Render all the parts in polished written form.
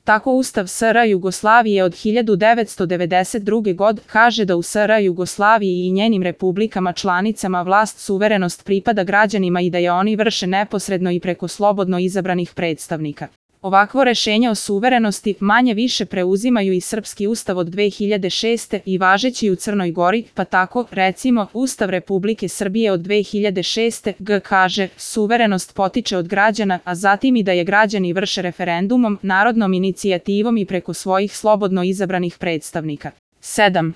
Tako Ustav SR Jugoslavije od 1992. godine kaže da u SR Jugoslaviji i njenim republikama članicama vlast suverenost pripada građanima i da je oni vrše neposredno i preko slobodno izabranih predstavnika. Ovakvo rešenje o suverenosti manje više preuzimaju i srpski ustav od 2006. i važeći u Crnoj Gori, pa tako, recimo, Ustav Republike Srbije od 2006. kaže, suverenost potiče od građana, a zatim i da je građani vrše referendumom, narodnom inicijativom i preko svojih slobodno izabranih predstavnika. 7.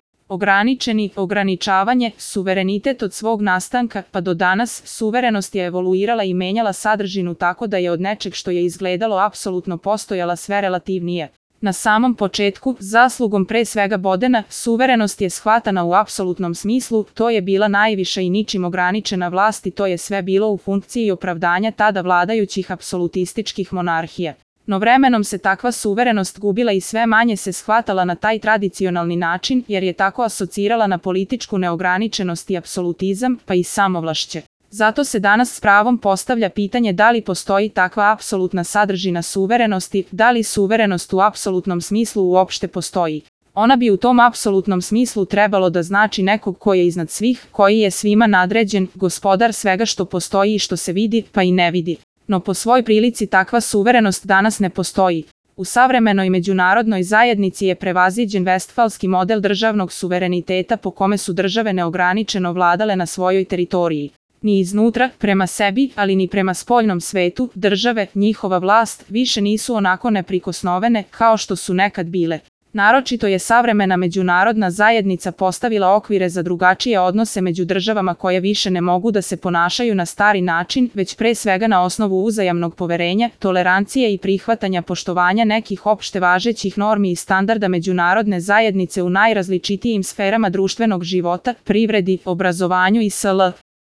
Ograničavanje, suverenitet od svog nastanka pa do danas, suverenost je evoluirala i menjala sadržinu tako da je od nečeg što je izgledalo apsolutno postojala sve relativnije. Na samom početku, zaslugom pre svega Bodena, suverenost je shvatana u apsolutnom smislu, to je bila najviša i ničim ograničena vlast i to je sve bilo u funkciji opravdanja tada vladajućih apsolutističkih monarhija. No vremenom se takva suverenost gubila i sve manje se shvatala na taj tradicionalni način jer je tako asocirala na političku neograničenost i apsolutizam, pa i samovlašće. Zato se danas s pravom postavlja pitanje da li postoji takva apsolutna sadržina suverenosti, da li suverenost u apsolutnom smislu uopšte postoji. Ona bi u tom apsolutnom smislu trebalo da znači nekog ko je iznad svih, koji je svima nadređen, gospodar svega što postoji i što se vidi, pa i ne vidi. No po svoj prilici takva suverenost danas ne postoji. U savremenoj međunarodnoj zajednici je prevaziđen vestfalski model državnog suvereniteta po kome su države neograničeno vladale na svojoj teritoriji. Ni iznutra, prema sebi, ali ni prema spoljnom svetu, države, njihova vlast, više nisu onako neprikosnovene kao što su nekad bile. Naročito je savremena međunarodna zajednica postavila okvire za drugačije odnose među državama koje više ne mogu da se ponašaju na stari način, već pre svega na osnovu uzajamnog poverenja, tolerancije i prihvatanja poštovanja nekih opšte važećih normi i standarda međunarodne zajednice u najrazličitijim sferama društvenog života, privredi, obrazovanju i sl.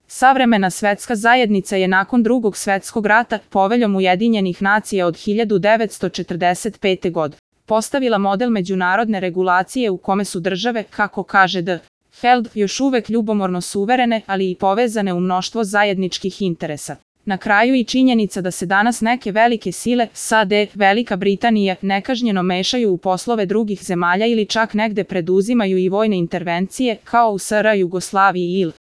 Savremena svetska zajednica je nakon Drugog svetskog rata, Poveljom Ujedinjenih nacija od 1945. godine, postavila model međunarodne regulacije u kome su države, kako kaže D. Held, još uvek ljubomorno suverene, ali i povezane u mnoštvo zajedničkih interesa. Na kraju i činjenica da se danas neke velike sile, SAD, Velika Britanija, nekažnjeno mešaju u poslove drugih zemalja ili čak negde preduzimaju i vojne intervencije, kao u SR Jugoslaviji ili